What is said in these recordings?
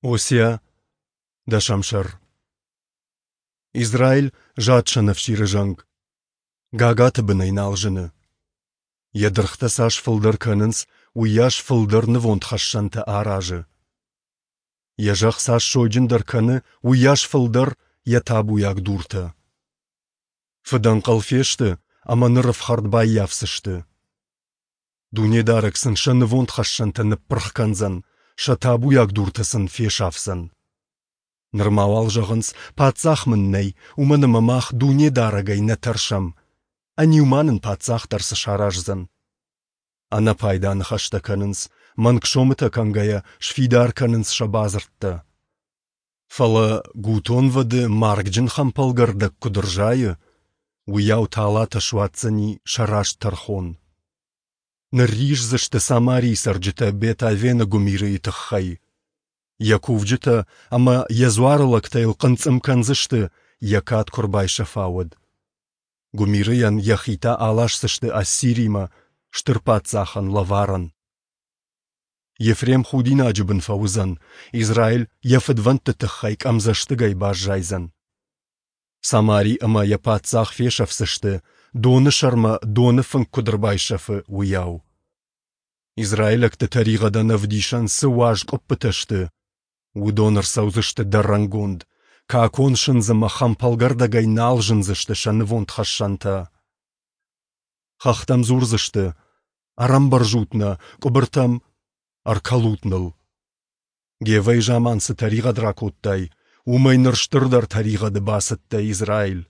Осиа, дӕсӕм сӕр. Израиль зад сӕнӕфсиры зӕнг, гагаты бынӕй нал зыны. Йӕ дыргътӕ цас фылдӕр кӕнынц, уыйас фылдӕр нывондхӕссӕнтӕ аразы. Йӕ зӕхх цас сойджындӕр кӕны, уыйас фылдӕр йӕ табуйаг дуртӕ. Фыдӕнхъӕл фесты ӕмӕ ныр ӕфхӕрд баййафдзысты. Дунедарӕг сын сӕ нывондхӕссӕнтӕ ныппырх кӕндзӕн, сӕ табуйаг дуртӕ сын фесафдзӕн. Нырма уал зӕгъынц, паддзах мын нӕй, уымӕн ӕмӕ мах Дунедарӕгӕй нӕ тӕрсӕм. Ӕниу ма нын паддзах дӕр цы сараздзӕн? Ӕнӕпайда ныхӕстӕ кӕнынц, мӕнг сомытӕ кӕнгӕйӕ сфидар кӕнынц сӕ бадзырдтӕ. Фӕлӕ гутонвӕды маргджын хӕмпӕлгӕрдӕг куыд ӕрзайы, уыйау талатӕ суадздзӕни сӕ раст тӕрхон. Нырриздзысты Самарийы цӕрджытӕ Бет-Авены гуымирыйы тыххӕй. Йӕ кувджытӕ ӕмӕ йӕ дзуарылӕгтӕ йыл хъынцъым кӕндзысты, йӕ кад куы ӕрбайсӕфа, уӕд. Гуымирыйӕн йӕхи та аласдзысты Ассиримӕ, стыр паддзахӕн лӕварӕн. Ефрем худинаджы бын фӕуыдзӕн, Израиль йӕ фыдвӕндты тыххӕй къӕмдзӕстыгӕй баззайдзӕн. Самари ӕмӕ йӕ паддзах фесӕфдзысты, доны сӕрмӕ доны фынк куыд ӕрбайсӕфы, уыйау. Израилӕгты тӕригъӕдӕн ӕвдисӕн цы уаз къуыппытӕ сты, уыдон ӕрцӕудзысты дӕрӕнгонд, какон сындз ӕмӕ хӕмпӕлгӕрдӕгӕй нал зындзысты сӕ нывондхӕссӕнтӕ. Хӕхтӕм дзурдзысты: «Ӕрӕмбӕрзут нӕ, къуыбыртӕм ӕркӕлут ныл». Гевӕйы заман цы тӕригъӕд ракодтай, уымӕй ныр стырдӕр тӕригъӕды бацыдтӕ, Израиль.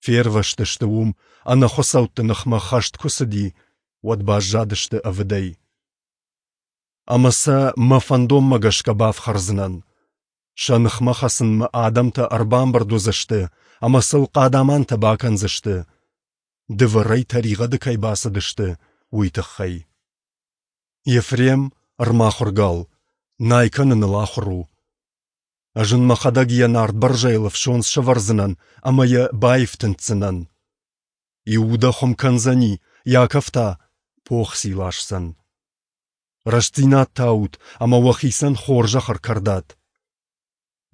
Фервӕзтысты уым, ӕнӕхуыцӕутты ныхмӕ хӕст куы цыди, уӕд баззадысты ӕвыдӕй. Ӕмӕ сӕ мӕ фӕндонмӕ гӕсгӕ бафхӕрдзынӕн. Сӕ ныхмӕ хӕцынмӕ адӕмтӕ ӕрбамбырд уыдзысты ӕмӕ сыл хъадамантӕ бакӕндзысты, дывӕрӕй тӕригъӕды кӕй бацыдысты, уый тыххӕй. Ефрем ӕрмахуыр гал, най кӕныныл ахуыр у. Ӕз ын мӕхӕдӕг йӕ нард бӕрзӕйыл ӕфсондз сӕвӕрдзынӕн ӕмӕ йӕ баифтындздзынӕн. Иуда хуым кӕндзӕни, Иаков та похци ласдзӕн. Рӕстдзинад таут ӕмӕ уӕхицӕн хорзӕх ӕркӕрдат.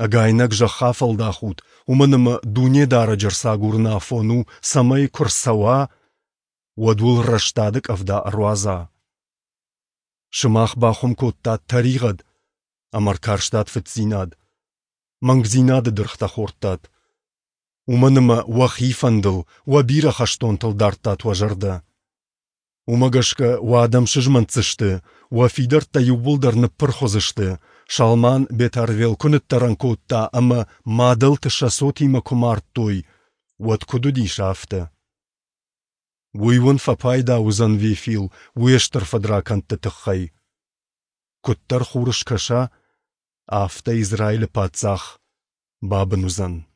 Ӕгайнӕг зӕхх афӕлдахут, уымӕн ӕмӕ Дунедарӕджы ӕрцагурыны афон у, цӕмӕй куы рцӕуа, уӕд уыл рӕстады къӕвда ӕруадза. Сымах бахуым кодтат тӕригъӕд ӕмӕ ӕркарстат фыддзинад, мӕнгдзинады дыргътӕ хордтат, уымӕн ӕмӕ уӕхи фӕндыл, уӕ бирӕ хӕстонтыл дардтат уӕ зӕрдӕ. Уымӕ гӕсгӕ уӕ адӕм сызмӕнтдзысты, уӕ фидӕрттӕ иууылдӕр ныппырх уыдзысты, Салман Бетъырвел куы ныддӕрӕн кодта ӕмӕ мадӕлты сӕ цотимӕ куы мардтой, уӕд куыд уыдис, афтӕ. Уый уын фӕпайда уыдзӕн Вефил уе стыр фыдракӕндты тыххӕй. Куыддӕр хур скӕса, афтӕ Израилы паддзах бабын уыдзӕн.